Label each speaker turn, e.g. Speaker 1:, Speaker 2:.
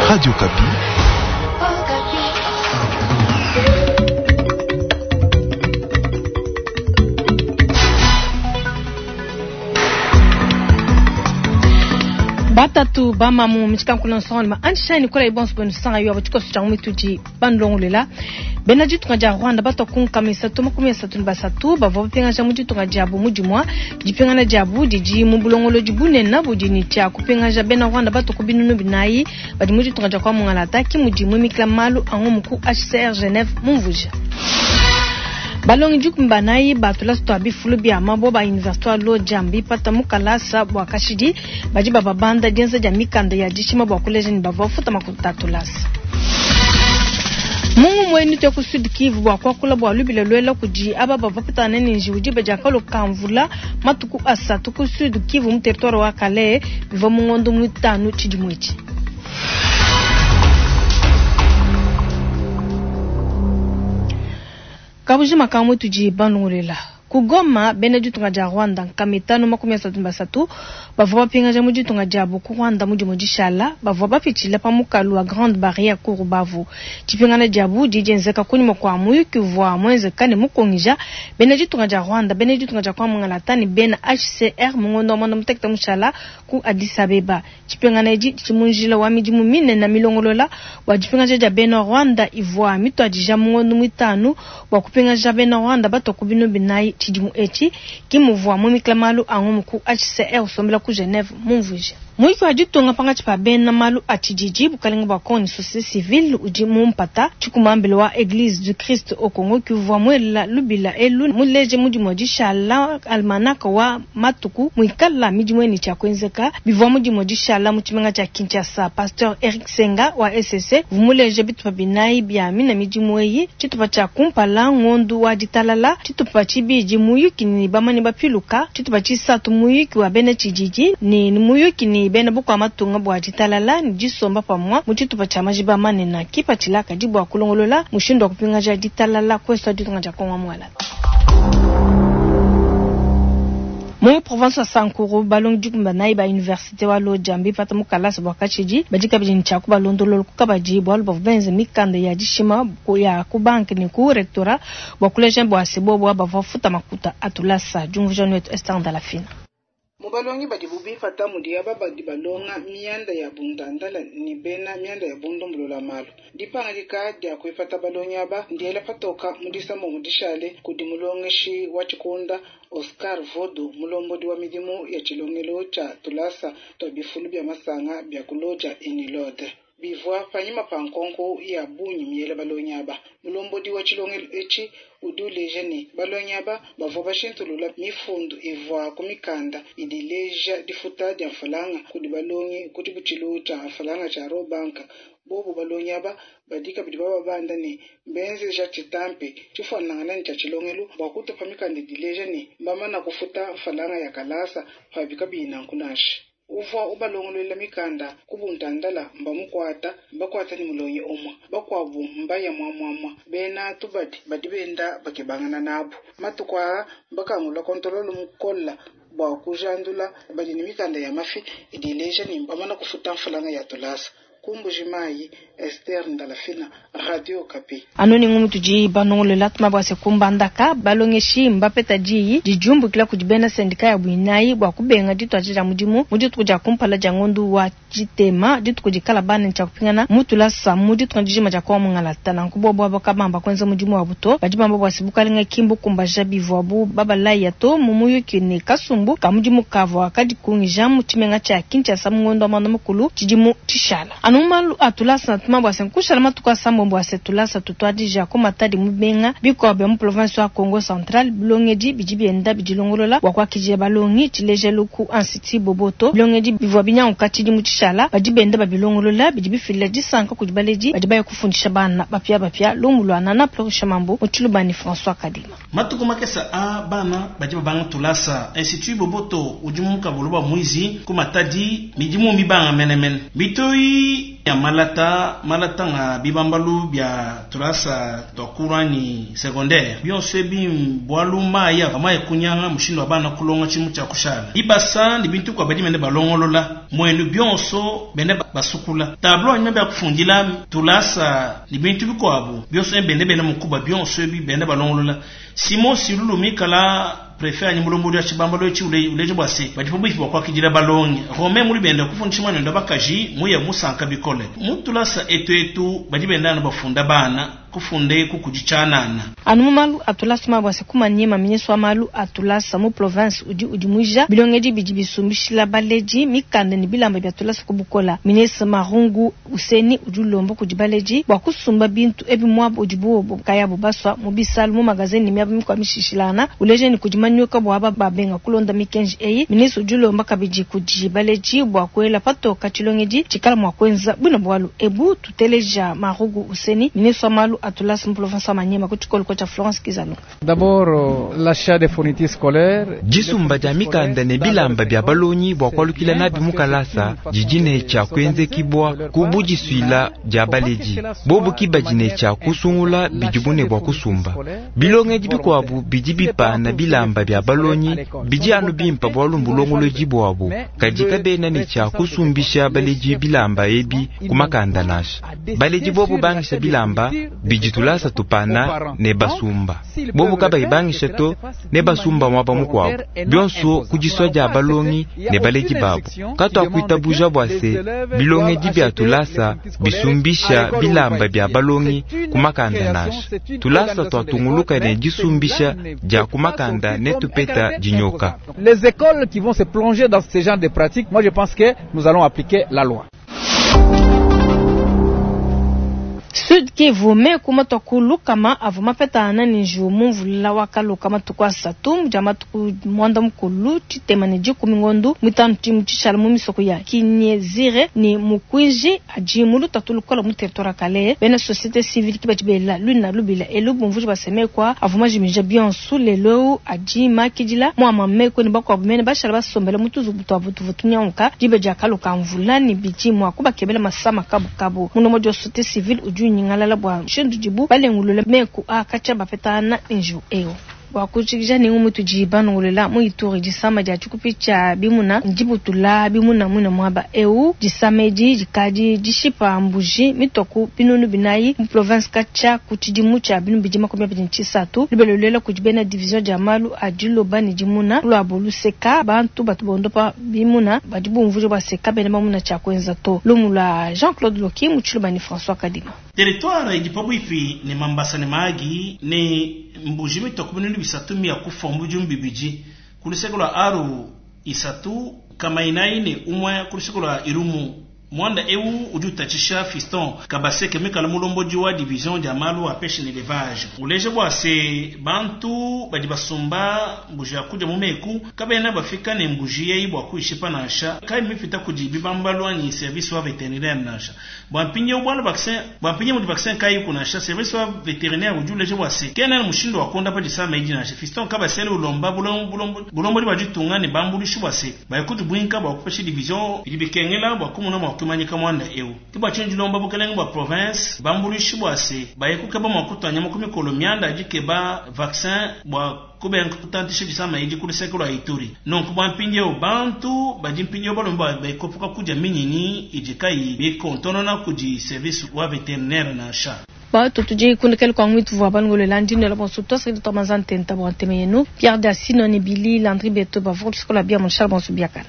Speaker 1: Radio Okapi.
Speaker 2: Batatu bamamu mutshikankula nsongaluma anshani kola ibonso bwenu sanga yo tshikoso tshia mitudi bandongolola bena ditunga dia Rwanda batua ku nkama isatu 33 bavua bapingaja mu ditunga diabu mu dimua. Dipingana diabu didi mu bulongolodi bunene budi ne tshia kupingaja bena Rwanda batua ku 4000 badi mu ditunga dia kwa Mungalata ki mudi muimikila malu a ngumu ku HCR Geneve mumvuja. Balongi 14 ba tulasa tua bifulu bia mabue ba universite wa Lodja mbipata mu kalasa bua kashidi badi bababanda dienza dia mikanda ya dishima bua kuleja ne bavua bafuta makuta a tulasa. Mungu muenu tuya ku Sud Kivu bua kuakula bua lubila luela kudi aba bavua bapetangana ne njiwu diba dia kaloka mvula matuku asatu ku Sud Kivu mu territoire wa Kalehe bivua mu ngondo muitanu tshidimu etshi. Kabujima ka mutudi banungulela. Ku Goma, bena ditunga dia Rwanda 533 bavua bapingaja mu ditunga diabu ku Rwanda mu dimue dishala bavua bapitshila pa mukalu wa Grande Barriere ku Rubavu. Dipingana diabu didi dienzeka kunyima kua muyuki uvua muenzeka ne mukungija bena ditunga dia Rwanda, bena ditunga dia kwa Mungalata ne bena HCR mu ngondo wa muanda mutekete mushala ku Addis Abeba. Dipingana edi didi mu njila wa midimu minene milongolola bua dipingaja dia bena Rwanda ivua mituadija mu ngondo muitanu bua kupingaja bena Rwanda batua ku 4000 tshidimu etshi, ki muvua muimikila malu a ngumu ku HCR usombela ku Geneve mumvuije. Muyuki wa ditunga pankatshi pa bena malu a tshididi, bukalenge bua Congo ne societe civile udi mu mpata. Tshikumambila wa Eglise du Christ au Congo ki uvua muela lubila elu muleje mu dimue dishala almanach wa matuku muikala midimu eyi ne tshia kuenzeka bivua mu dimue dishala mu tshimenga tshia Kinshasa. Pasteur Eric Senga wa ECC uvua muleje bitupa binayi bia mina midimu eyi, tshitupa tshia kumpala ngondu wa ditalala, tshitupa tshibidi muyuki ne bamanyi bapiluka, tshitupa tshisatu muyuki wa bena tshididi ne muyuki ne bena bukua matunga bua ditalala ne disomba pamua mu tshitupa tshia majiba manene. Kipatshila kadi bua kulongolola mushindu wa kupingaja ditalala kuesu ditunga dia Congo mualata. Mu province wa Sankuru, balongi 14 ba universite wa Lodja mbipata mu kalasa bua kashidi badi kabidi ne tshia kubalondolola ku kabadi bualu bavua benze mikanda ya dishima ya ku banke ne ku rectorat bua kuleja bua se bobu bavua bafuta makuta a tulasa. Diumvuija wetu Esther Ndalafina.
Speaker 3: Mu balongi badibu bipata mudi aba badi balonga mianda ya bundandala ne bena mianda ya bundumbulula malu. Dipangadika dia kuipata balongi aba ndiela patoka mu disambo dishale kudi mulongeshi wa tshikunda Oscar Vodo mulombodi wa midimu ya tshilongelo tshia tulasa tua bifulu bia masanga bia ku Lodja Unilod. Bivua panyima pa nkonko ya bungi miela balongi aba. Mulombodi wa tshilongelo etshi udi uleja ne balongi aba bavua bashintulula mifundu ivua ku mikanda idi ileja difuta dia mfalanga kudi balongi ku tshibutshilu tshia mfalanga tshia Rawbank. Bobu balongi aba badi kabidi bababanda ne mbenzeja tshitampi tshifuanangana ne tshia tshilongelo bua kutupa mikanda idi ileja ne mbamana kufuta mfalanga ya kalasa pabi kabiyi nanku nansha. Uvua ubalongolola mikanda ku buntandala mbamukuata mbakuata ne mulongi umue bakuabu mbaya muamuamua bena tubadi badi benda bakebangana nabu matuku aa mbakangula kontololo mukola bua kujandula badi ne mikanda ya mafi idi ileja ne mbamana kufuta mfalanga ya tulasa. Ku Mbuji-Mayi, Esther Ndalafina, Radio Okapi.
Speaker 2: Anu ne ngumu tudi banongolola tuma bua se kumbandaka balongeshi mbapeta diyi dijumbukila kudi bena sendika ya buinayi bua kubenga dituadija dia mudimu mu dituku dia kumpala dia ngondu wa tshitema dituku dikala bana tshia kupingana mu tulasa mu ditunga dijima dia Kongo Mungalata. Nanku bobu aba kabamba kuenza mudimu wabu to badi bamba bua se bukalenga ki mbukumbaja bivuabu babalaya to mu muyuki ne kasumbu ka mudimu kavua kadikungija mu tshimenga tshia Kinshasa mu ngondo wa muanda mukulu tshidimu tshishala. Anu malu a tulasa na tuma bua se nkushala matuku asambombo bua se tulasa tutuadija ku Matadi mu bimenga bikuabu bia mu province wa Kongo Central. Bilongedi bidi bienda bidilongolola bua kuakidila balongi tshilejelu ku Institut Boboto. Bilongedi bivua binyanguka tshidimu tshishala badi benda babilongolola bidi bifila disanka kudi baledi badi baya kufundisha bana bapiabapia. Lumu lua Nana Plorisha Mambo mu Tshilubani François Kadima.
Speaker 4: Matuku makesa a bana badi babanga tulasa Institut Boboto udi mu kabulu ba mwizi ku Matadi midimu mibanga menemene mitoyi. ya malata, malata nga bibambalu bia tulasa twa kulu anyi secondaire, bionso ebi mbualu mayi avua maye kunyanga mushindu wa bana kulonga tshimu tshia kushala. Bibasa ne bintu bikuabu badi benda balongolola muenu bionso benda basukula tableau anyima bia kufundila tulasa ne bintu bikuabu bionso ebi benda bela mukuba bionso ebi benda balongolola. Simon Silulu mikala prefet anyi mulombodi wa tshibambalu etshi uleja bua se, badi pabuipi bua kuakidila balongi. Romain muli benda kufundisha muanende wa bakaji muya musanka bikole. Mu tulasa etu etu badi benda anu bafunda bana, kufunda eku kudi tshianana.
Speaker 2: Anu mu malu a tulasa mabua se ku Maniema, ministre wa malu a tulasa mu province udi udimuija bilongedi bidi bisumbishila baledi mikanda ne bilamba bia tulasa ku bukola. Ministre Marungu Useni udi ulomba kudi baledi bua kusumba bintu ebi muaba udibu bobu nkayabu basua, mu bisalu, mu magazin ne miaba mikuabu mishishilangana. Uleja ne kudi manyoka bua aba babenga kulonda mikenji eyi. Ministre udi ulomba kabidi kudi baledi bua kuela patoka tshilongedi tshikala mua kuenza buina bualu ebu. Tuteleja Marugu Useni, ministre wa malu a tulasa mu province wa Maniema ku tshikoloko tshia Florence Kizalunga.
Speaker 1: Disumba dia mikanda ne bilamba bia balongi bua kualukila nabi mu kalasa didi ne tshia kuenzekibua ku budisuila dia baledi. Bobu ki badi ne tshia kusungula bidibu ne bua kusumba. Bilongedi bikuabu bidi bipana bilamba bia balongi bidi anu bimpa bualu mbulongolodi buabu, kadi kabena ne tshia kusumbisha baledi bilamba ebi ku makanda nansha. Baledi bobu bangisha bilamba bidi tulasa tupana ne basumba. Bobu kabayi bangisha to, ne basumba muaba mukuabu. Bionso ku disua dia balongi ne baledi babu. Katuakuitabuja bua se bilongedi bia tulasa bisumbisha bilamba bia balongi ku makanda nansha. Tulasa tuatunguluka ne disumbisha dia ku makanda ne tupeta dinyoka.
Speaker 5: Les ecoles qui vont se plonger dans ce genre de pratiques, moi je pense que nous allons appliquer la loi.
Speaker 2: Sud Kivu, meku matua ku lukama avua mapetangana ne njiwu mu mvula wa kaloka matuku asatu dia matuku muanda mukulu tshitema ne dikumi ngondu muitanu tshidimu tshishala mu misoko ya Kinyezire ne Mukwiji adi mu lutatu lukola mu territoire wa Kalehe. Bena societe civile ki badi bela luina lubila elu bumvuija bua se meku aa avua majimija bionsu lelu eu adi makidila mu amua meku ne bakuabu mene bashala basombela mu tuzubu tuabu tuvua tunyanguka diba dia kaloka mvula ne bidi mua kubakebela masama kabukabu. Mulombodi wa societe civile udi unyingalala bua mushindu udibu balengulula meku a katshia bapetangana ne njiwu eu. Bua kujikija ne ngumu itudi banongolola mu Ituri, disama dia tshikupi tshia bimuna ndibutula bimuna muine muaba eu. Disama edi dikadi dishipa mbuji mitua ku binunu binayi mu province katshia ku tshidimu tshia 2023. Lubela luela kudi bena division dia malu a diloba ne dimuna ku luabu luseka, bantu batu bondopa bimuna badi bumvuija bua se kabena bamuna tshia kuenza to. Lumu lua Jean Claude Loki mu tshiluba ne François Kadima.
Speaker 4: Territoire idi pabuipi ne Mambasa ne Mahagi ne mbuji mitua ku binunu bisatu miya kufua mu bidimu bibidi ku luseke lua Aru isatu kama inayi ne umue ku luseke lua Irumu. Muanda eu udi utatshisha Fiston Kabaseke muikale mulombodi wa division dia malu a peshe ne elevage. Uleja bua se bantu badi basumba mbuji ya kudia mu meku kabena bafika ne mbuji eyi bua kuyishipa nansha, kayi mipita kudi bibambalu anyi service wa veterinaire nansha. Bua mpindieu bualu vaccin, bua mpindieu mudi vaccin kayiku nansha, service wa veterinaire udi uleja bua se kena ne mushindu wa kuondapa disama edi nansha. Fiston Kabasele ulomba bulombodi bua ditunga ne bambuluishi bua se baye kudibuinka bua kupesha division bidi bikengela bua kumona mua kuimanyika muanda eu. Ke bua tshinyi dilomba bukelenge bua province bambuluishi bua se baye kukeba mua kutua nyama ku mikolo mianda ya dikeba vaccin bua kubenga kutantisha disama edi ku luseke lua Ituri. Nunku bua mpindieu bantu badi mpindieu balomba bua baye kuepuka kudia minyinyi idi kayiyi mikontonona kudi service wa veterinaire nansha.
Speaker 2: Batu tudi kundekela kwa ngwitu vua balongolola ndi nela bonso tuasakidila tua manza ntenta bua ntema yenu. Pierre Dasino ne Billy Landry Beto bavua ku luseke lua bia mu Charles bonso biakana.